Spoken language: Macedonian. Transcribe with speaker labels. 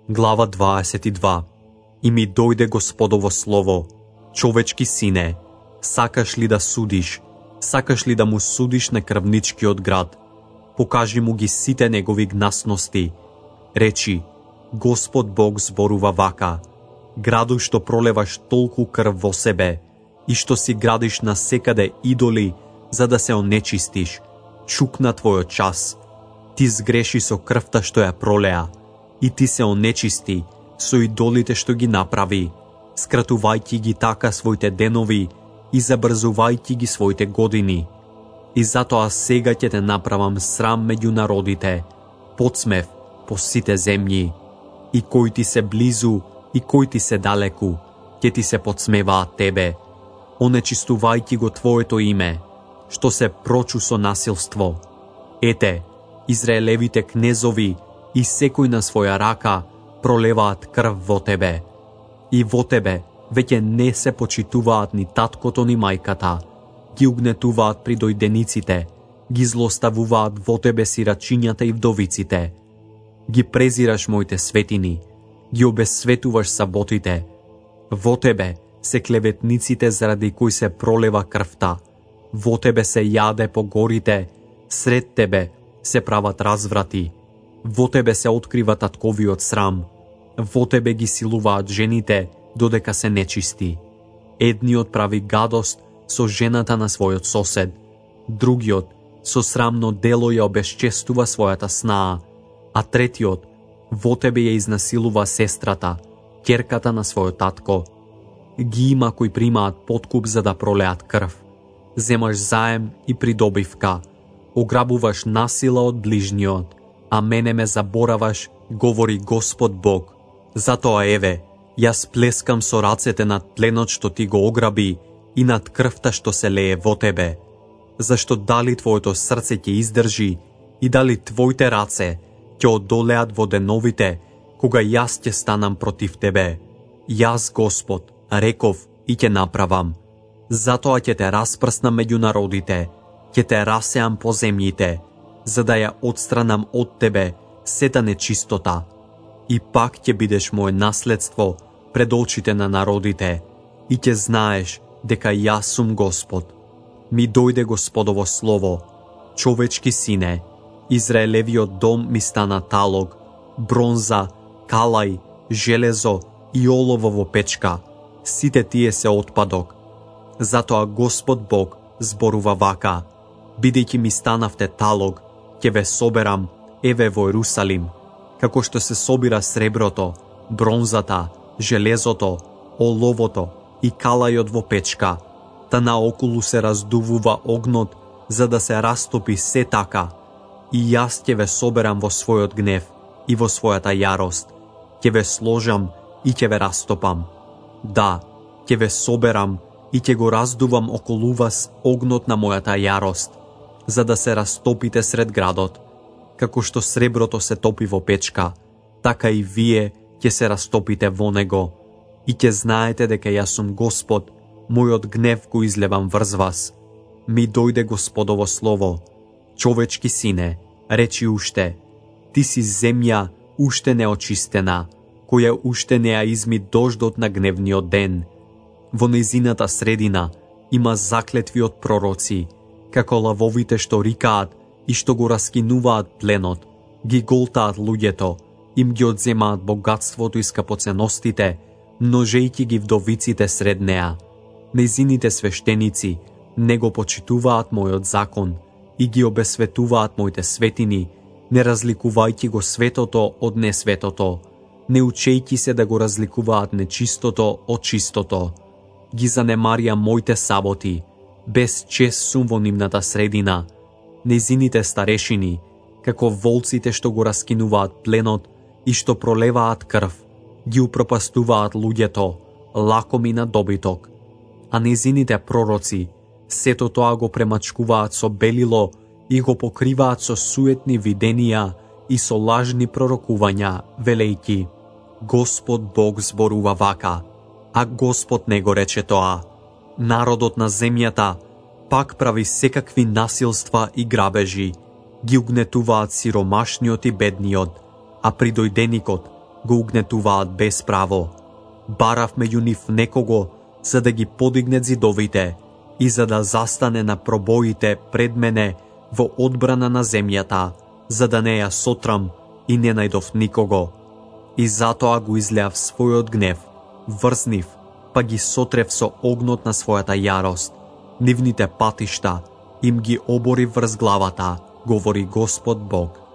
Speaker 1: Глава 22. И ми дојде Господово слово: човечки сине, сакаш ли да судиш? Сакаш ли да му судиш на крвничкиот град? Покажи му ги сите негови гнасности. Речи: Господ Бог зборува вака: градот што пролеваш толку крв во себе и што си градиш на секаде идоли за да се онечистиш, чукна твојот час. Ти сгреши со крвта што ја пролеа и ти се онечисти со идолите што ги направи, скратувајќи ги така своите денови и забрзувајќи ги своите години. И затоа сега ќе те направам срам меѓу народите, подсмев по сите земји. И кои ти се близу и кои ти се далеку, ќе ти се подсмеваат тебе, онечистувајќи го твоето име, што се прочу со насилство. Ете, Израелевите кнезови и секој на своја рака пролеваат крв во тебе. И во тебе веќе не се почитуваат ни таткото ни мајката, ги угнетуваат придојдениците, ги злоставуваат во тебе сирачињата и вдовиците. Ги презираш моите светини, ги обесветуваш саботите. Во тебе се клеветниците заради кои се пролева крвта. Во тебе се јаде по горите, сред тебе се прават разврати. Во тебе се открива татковиот срам. Во тебе ги силуваат жените додека се нечисти. Едниот прави гадост со жената на својот сосед, другиот со срамно дело ја обесчестува својата снаа, а третиот во тебе ја изнасилува сестрата, ќерката на својот татко. Ги има кои примаат подкуп за да пролеат крв. Земаш заем и придобивка, ограбуваш насила од ближниот, а мене ме забораваш, говори Господ Бог. Затоа еве, јас плескам со рацете над пленот што ти го ограби и над крвта што се лее во тебе. Зашто дали твоето срце ќе издржи и дали твоите раце ќе одолеат во деновите, кога јас ќе станам против тебе. Јас, Господ, реков и ќе направам. Затоа ќе те распрснам меѓу народите, ќе те расеам по земјите, за да ја отстранам од тебе сета нечистота. И пак ќе бидеш моje наследство пред очите на народите и ќе знаеш дека јас сум Господ. Ми дојде Господово слово: човечки сине, Израелевиот дом ми стана талог, бронза, калај, железо и олово во печка. Сите тие се отпадок. Затоа Господ Бог зборува вака: бидејќи ми станавте талог, ќе ве соберам еве во Ерусалим, како што се собира среброто, бронзата, железото, оловото и калајот во печка, та наоколу се раздувува огнот за да се растопи се така. И јас ќе ве соберам во својот гнев и во својата јарост, ќе ве сложам и ќе ве растопам. Да, ќе ве соберам и ќе го раздувам околу вас огнот на мојата јарост, за да се растопите сред градот. Како што среброто се топи во печка, така и вие ќе се растопите во него. И ќе знаете дека јас сум Господ, мојот гнев го излевам врз вас. Ми дојде Господово слово: човечки сине, речи уште: ти си земја уште неочистена, која уште не ја изми дождот на гневниот ден. Во нејзината средина има заклетви од пророци, како лавовите што рикаат и што го раскинуваат пленот, ги голтаат луѓето, им ги одземаат богатството и скапоценностите, множејќи ги вдовиците сред неа. Нејзините свештеници не го почитуваат мојот закон и ги обесветуваат моите светини, не разликувајќи го светото од несветото, не учејќи се да го разликуваат нечистото од чистото. Ги занемарија моите саботи, без чест сум во нивната средина. Нејзините старешини, како волците што го раскинуваат пленот и што пролеваат крв, ги упропастуваат луѓето, лакоми на добиток. А нејзините пророци, сето тоа го премачкуваат со белило и го покриваат со суетни виденија и со лажни пророкувања, велејќи: Господ Бог зборува вака, а Господ не го рече тоа. Народот на земјата пак прави секакви насилства и грабежи, ги угнетуваат сиромашниот и бедниот, а придојденикот го угнетуваат без право. Барав меѓу нив некого за да ги подигне зидовите и за да застане на пробоите пред мене во одбрана на земјата, за да не ја сотрам и не најдов никого. И затоа го излеав својот гнев врз нив, па ги сотрев со огнот на својата јарост. Нивните патишта им ги обори врз главата, говори Господ Бог.